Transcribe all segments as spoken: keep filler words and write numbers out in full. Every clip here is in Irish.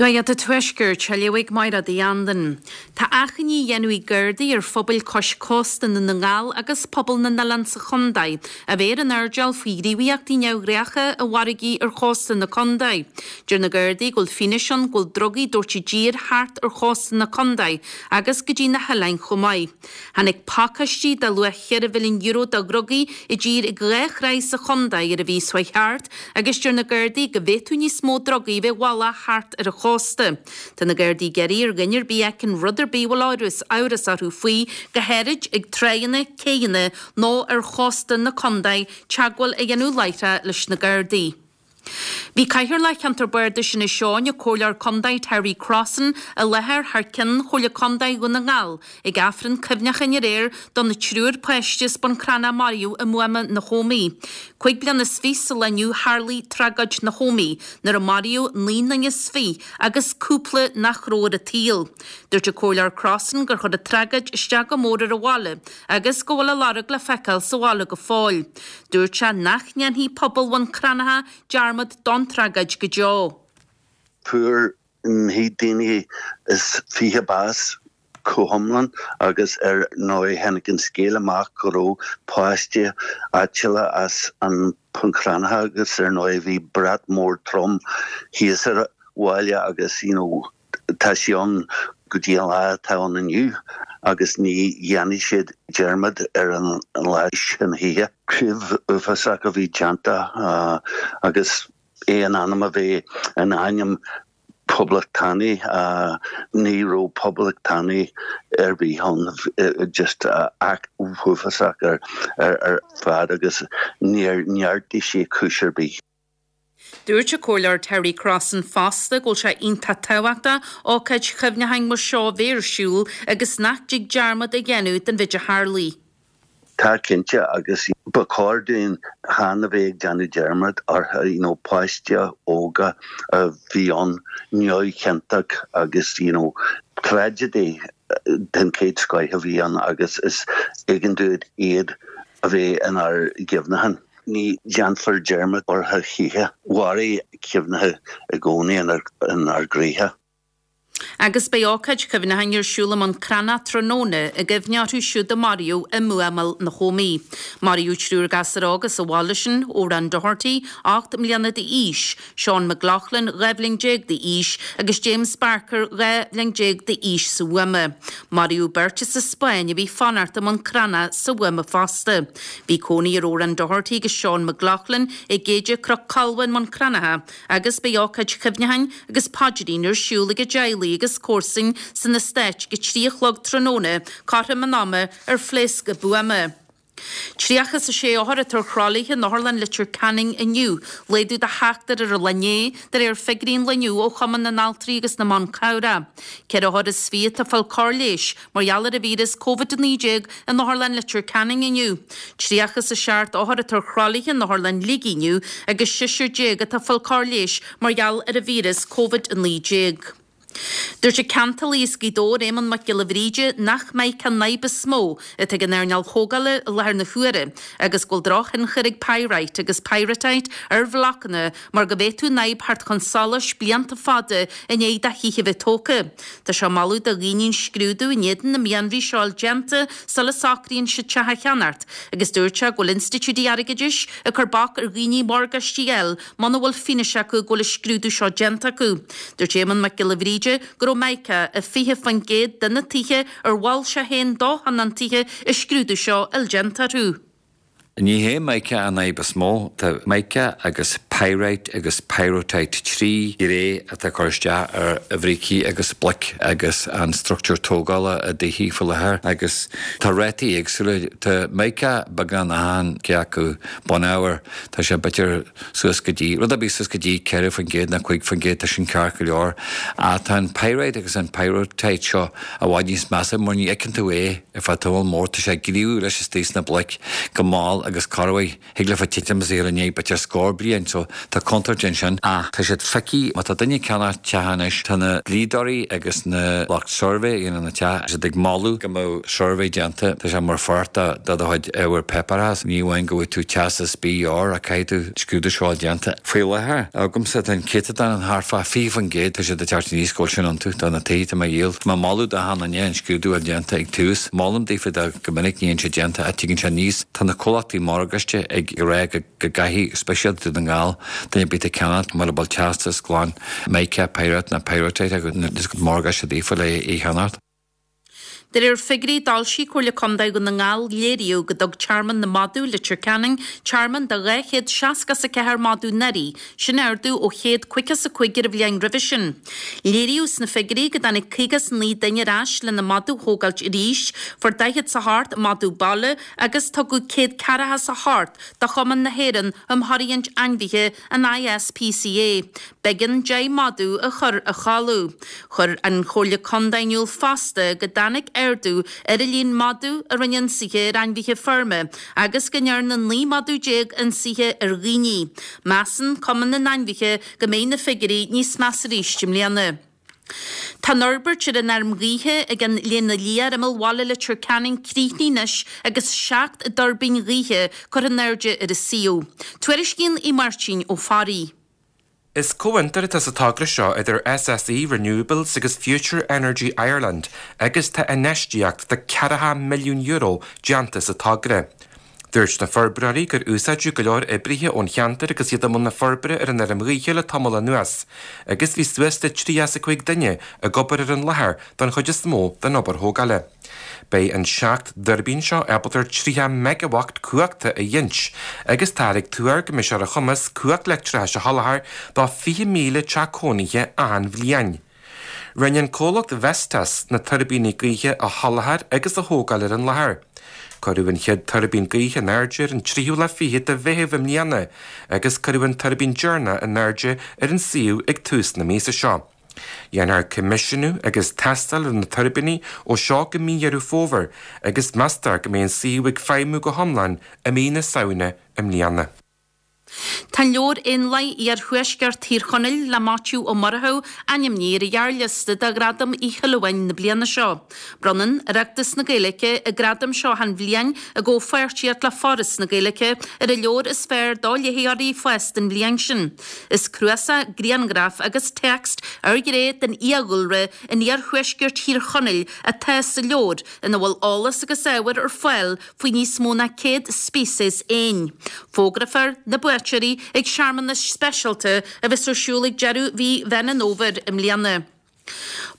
Nuacht an Tuaiscirt á léamh ag Máire Uí Andain. Tá achainí á dhéanamh ag Gardaí ar phobail cois cósta Dhún na nGall agus pobal na n-oileán sa chontae, a bheith ar an airdeall faoi ghníomhaíochtaí neamhghnácha i bhfarraigí ar chósta na contae. Deir na Gardaí go bhfuil fianaise ann go bhfuil drugaí ag tabhairt i dtír thart ar chósta na contae agus go dtí na hoileáin chomh maith. Tháinig pacáistí de luach ceithre mhilliún euro de dhrugaí i dtír ag dhá thráigh sa chontae ar an mhí seo thart agus deir na Gardaí go bhféadfadh níos mó drugaí bheith i bhfolach thart ar an chósta. Tá na Gardaí ag iarraidh ar dhuine ar bith a fheiceann rud ar bith a bhfuil amhras amhras orthu faoi go háirid ag tránna, céanna nó ar chósta na contae teagmháil a dhéanamh láithreach leis na Gardaí. Bhí Cathaoirleach Cheantar Bardais Inis Eoghain an Comhairleoir Contae Terry Crossan i láthair thar ceann Chomhairle Contae Dhún na nGall ag Aifreann cuimhneacháin aréir do na triúr páiste as Bun Cranncha a maraíodh i mbuama na hÓmaí. Cúig bliana is fiche sa lá inniu tharlaigh tragóid na hÓmaí nuair a maraíodh naoi nduine is fiche agus cúpla nach raibh ar an tsaol. Dúirt an Comhairleoir Crossan gur chuir an tragóid isteach go mór ar an bhaile agus go bhfuil a lorg le feiceáil sa bhaile go fóill. Dúirt sé nach ndéanfaidh pobal Bhun Cranncha dearmad don tragóid go deo. Fuair naoi daoine is fiche bás go hiomlán agus ar ndóigh tháinig an scéal amach go raibh páiste áitiúla as an Bhun Cranncha agus ar ndóigh bhí brat mór trom thíos ar bhaile agus you know, tá sé ann go dtí an lá atá ann inniu agus ní dhéanfaidh siad dearmad ar an lá sin choíche. Crimh uafásach a bhí déanta uh, agus é in ainm a bheith in ainm poblachtánaigh uh, ní raibh poblachtánaigh ar bith ann just uh, act uafásach ar, ar, ar fad agus níor neartaigh sé cúis ar bith. Dúirt an Comhairleoir Terry Crossan fosta go bhfuil sé iontach tábhachtach ócáid chuimhneacháin mar seo a bheith ar siúl agus nach dtig dearmad a dhéanamh den mhéid a tharlaigh. Tá cinnte agus ba chóir dúinn chan a bheith ag déanamh dearmad ar you know, páiste óga a bhí ann neamhchiontach agus you know, tragedy den chéad scoth a bhí ann agus is éigean dúinn iad a bheith inár gcuimhne. Ní dhéanfar dearmad orthu choíche, mairfidh cuimhne i gcónaí inár gcroíthe. Agus beidh ócáid chuimhneacháin ar siúl i mBun Cranncha tráthnóna i gcuimhne orthu siúd a maraíodh i mbuamáil na hÓmaí. Maraíodh triúr gasúr óg as an bhaile sin Odhrán Doherty, ocht mbliana d'aois, Seán McLaughlin dhá bhliain déag d'aois agus James Barker dhá bhliain déag d'aois sa bhuama. Maraíodh beirt as an Spáinn a bhí ag fanacht i mBun Cranncha sa bhuama fosta. Bhí cónaí ar Odhrán Doherty agus Seán McLaughlin i gCéide Chnoc Colva i mBun Cranncha agus beidh ócáid chuimhneacháin agus paidrín ar siúl ag a dteaghlaigh agus comharsain san eastát ag a trí a chlog tráthnóna cothrom an ama ar phléasc an buama. Tríocha is a sé othar atá ar thralaithe in Otharlann Leitir Ceanainn inniu, laghdú de sheachtar ar an lá inné de réir figiúirí an lae inniu ó Chumann na nAltraí agus na mBan Cabhrach. Ceithre othar is fiche atá ag fáil cóir leighis mar gheall ar an víreas COVID a naoi déag in Otharlann Leitir Ceanainn inniu. Tríocha is a seacht othar atá ar thralaithe in Otharlann Shligigh inniu agus seisear déag atá ag fáil cóir leighis mar gheall ar an víreas COVID a naoi déag. Dúirt an ceantálaí as Gaoth Dobhair Éamonn Mac Giolla Bhríde nach mica an fhadhb is mó atá ag an earnáil thógála i láthair na huaire, agus go bhfuil drochthionchar ag pyrite agus pyrrhotite ar bhlocanna mar go bhféadfadh an fhadhb theacht chun solais blianta fada i ndiaidh do thithe bheith tógtha. Tá sé ag moladh do dhaoine an scrúdú in éadan na mianraí seo déanta sula socraíonn siad teach a cheannacht, agus dúirt sé go bhfuil institiúidí airgeadais ag cur bac ar dhaoine morgáistí a fháil muna bhfuil fianaise acu go bhfuil an scrúdú seo déanta acu. Dúirt Éamonn Mac Giolla Bhríde go raibh mica i fiche faoin gcéad de na tithe ar mhol sé féin do thionóntaithe an scrúdú seo a fháil déanta orthu. Ní hé mica an fhadhb is mó tá mica agus pyrite agus pyrrhotite trí ghné atá ag cur isteach ar bhrící agus bloic agus an struchtúr tógála i dtithe faoi láthair agus tá rátaí éagsúla tá mica beagán achan cé acu bunábhar tá sé b'fhéidir suas go dtí rud a bí suas go dtí ceithre faoin gcéad nó cúig faoin gcéad tá sin ceart go leor ach tá an pyrite agus an pyrrhotite seo i bhfad níos measa mar ní fheiceann tú é ar feadh tamall mór tá sé ag gníomhú leis istigh sna bloic go mall agus corruair thig leofa titim is i ndiaidh b'fhéidir scór bliain so tá contúirt ansin ach tá siad picky má tá duine ag ceannach teach anois tá na dlíodóirí agus na lucht suirbhé a dhéanann na teach siad ag moladh go mbeadh suirbhé déanta tá sé mar pháirt de do chuid ábhar páipéarachais ní amháin go bhfuil tú teastas B or ach caithfidh tú scrúdú seo déanta. Faoi láthair agamsa tá an céatadán an thart fá fiche faoin gcéad tá siad ag teacht aníos go bhfuil sin iontu do na tithe atá mé a dhíol. Tá mé ag moladh do achan duine an scrúdú a déanta ag tús. Molaim daofa de go minic ní bhíonn sé déanta ach tuigeann sé níos tá na comhlachtaí morgáiste ag rá go gcaithfidh speisialta don Gall duine ar bith ag ceannach mura bhfuil teastas glan mica pyrite ná pyrrhotite agus morgáiste daofa le é cheannacht. De réir figiúirí a d'fhoilsigh Comhairle Contae Dhún na nGall léiríodh go dtug Tearmann na Madadh Leitir Ceanainn tearmann do dhá chéad seasca is a ceathair madadh anuraidh, sin ardú ó chéad caoga is a cúig ar an bhliain roimhe sin. Léiríodh sna figiúirí go dtáinig caoga is naoi duine ar ais lena madadh a thógáilt arís, fuair daichead is a hocht madadh baile agus tugadh céad ceathracha is a hocht do Chumann na hÉireann um Thóraíocht Ainmhithe an ISPCA. B'éigean deich madadh a chur a chodladh. Chuir an Chomhairle Contae in iúl fosta go dtáinig ardú ar an líon madadh a rinne ionsaithe ar ainmhithe feirme agus go ndearna naoi madadh déag ionsaithe ar dhaoine. Measann Cumann na nAinmhithe go mbeidh na figiúirí níos measa arís i mbliana. Tá an fhorbairt ar an fheirm ghaoithe ag an Léana Liath ar imeall bhaile Leitir Ceanainn críochnaithe anois agus seacht dtuirbín ghaoithe curtha in airde ar an suíomh. Tuairiscíonn Aodh Máirtín Ó Fearraigh. Is comhfhiontar atá sa togra seo idir SSE Renewables agus Future Energy Ireland agus tá infheistíocht de ceathracha milliún euro déanta sa togra. Dúirt na forbróirí gur úsáideadh go leor oibrithe ón cheantar agus iad i mbun na forbartha ar an fheirm ghaoithe le tamall anuas, agus bhí suas le tríocha is a cúig duine ag obair ar an láthair don chuid is mó den obair thógála. Beidh an seacht dtuirbín seo ábalta tríocha megawatt cumhachta a ghiniúint, agus táthar ag tuar go mbeidh sé ar a chumas cumhacht leictreachais a sholáthar do fiche míle teach cónaithe achan bhliain. Rinne an comhlacht Vestas na tuirbíní gaoithe a sholáthar agus a thógáil ar an láthair. Cuireadh an chéad tuirbín gaoithe in airde ar an tríú lá fichead de Mheitheamh i mbliana, agus cuireadh an tuirbín deireanach in airde ar an suíomh ag tús na míosa seo. Dhéanfar coimisiúnú agus tástáil ar na tuirbíní ó seo go mí Dheireadh Fómhair agus meastar go mbeidh an suíomh ag feidhmiú go hiomlán i mí na Samhna i mbliana. Tá an leabhar Éanlaith Iarthuaisceart Thír Chonaill le Maitiú Ó Murchú ainmnithe ar an ghearrliosta do Ghradam Uí Shuilleabháin na bliana seo. Bronnann Oireachtas na Gaeilge an gradam seo achan bhliain i gcomhpháirtíocht le Foras na Gaeilge ar an leabhar is fearr do léitheoirí fásta an bhliain sin. Is cnuasach grianghraf agus téacs ar ghné den fhiadhúlra in iarthuaisceart Thír Chonaill atá sa leabhar ina bhfuil eolas agus ábhar ar fáil faoi níos mó ná céad speiceas éin. Fógrófar na buaiteoirí ag searmanas speisialta a bheas ar siúl ag deireadh mhí Mheán an Fhómhair i mbliana.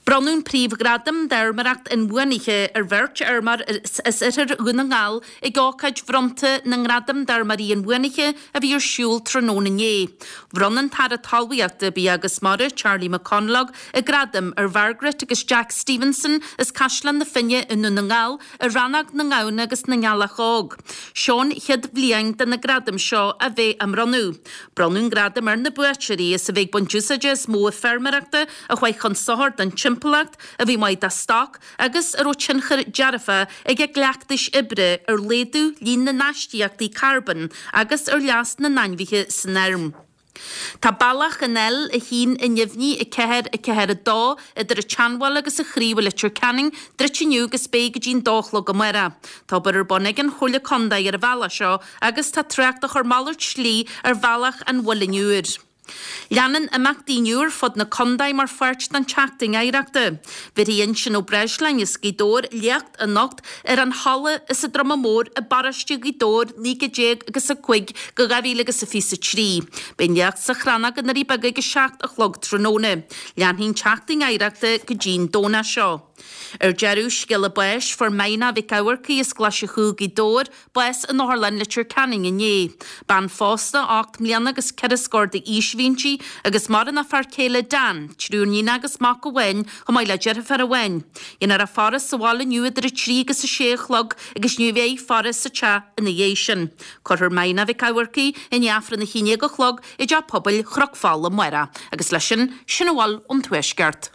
Bronnadh an príomhghradam d'fheirmeoireacht inbhuanaithe ar bheirt fheirmeoir as oirthear Dhún na nGall ag ócáid bhronnta na nGradam d'Fheirmeoirí Inbhuanaithe a bhí ar siúl tráthnóna inné. Bhronn an tAire Talmhaíochta, Bia agus Mara, Charlie McConalogue, an gradam ar Mhargaret agus Jack Stevenson as Caisleán na Finne i nDún na nGall i rannóg na ngamhna agus na ngealach óg. Seo an chéad bhliain de na gradaim seo a bheith á mbronnadh. Bronnadh an gradam ar na buaiteoirí as a bheith ag baint úsáide as modh feirmeoireachta a chuaigh chun sochair don timpeallacht, a bhí maith do stoc agus a raibh tionchar dearfach ag a gcleachtais oibre ar laghdú líon na n-astaíochtaí carbóin agus ar leas na n-ainmhithe san fheirm. Tá bealach an L a haon i nDuibhní a ceathair a ceathair a dó idir an tSeanbhaile agus an Chraobh i Leitir Ceanainn druidte inniu agus beidh go dtí'n dó a chlog amárach. Tá obair ar bun ag an Chomhairle Contae ar an bhealach seo agus tá trácht á chur malairt slí ar bhealach an Mhuilinn Úir. Leanann imeachtaí inniu ar fud na contae mar pháirt den tSeachtain Oidhreachta. Bhéarfaidh Uinseann Ó Breisleáin as Gaoth Dobhair léacht anocht ar an Halla is an Druma Mór i bparóiste Ghaoth Dobhair naoi déag agus a cúig go dhá mhíle agus a fiche a trí. Beidh an léacht sa Chrannóg i nDoirí Beaga ag a seacht a chlog tráthnóna. Leanfaidh an tSeachtain Oidhreachta go dtí'n Domhnach seo. Ar deireadh, scéala báis, fuair Maina Mhic Eamharcaigh as Glaise Chú, Gaoth Dobhair, bás in Otharlann Leitir Ceanainn inné. Bean phósta, ocht mbliana agus ceithre scór d'aois a bhí inti agus maireann a fear céile Dan, triúr níon agus mac amháin, chomh maith le deirfiúr amháin. Dhéanfar a faire sa bhaile inniu idir a trí agus a sé a chlog agus ní bheidh faire sa teach ina dhiaidh sin. Cuirfear Maina Mhic Eamharcaigh i ndiaidh Aifreann a haon déag a chlog i dTeach Pobail Chnoc Fola amárach. Agus leis sin, sin a bhfuil ón Tuaisceart.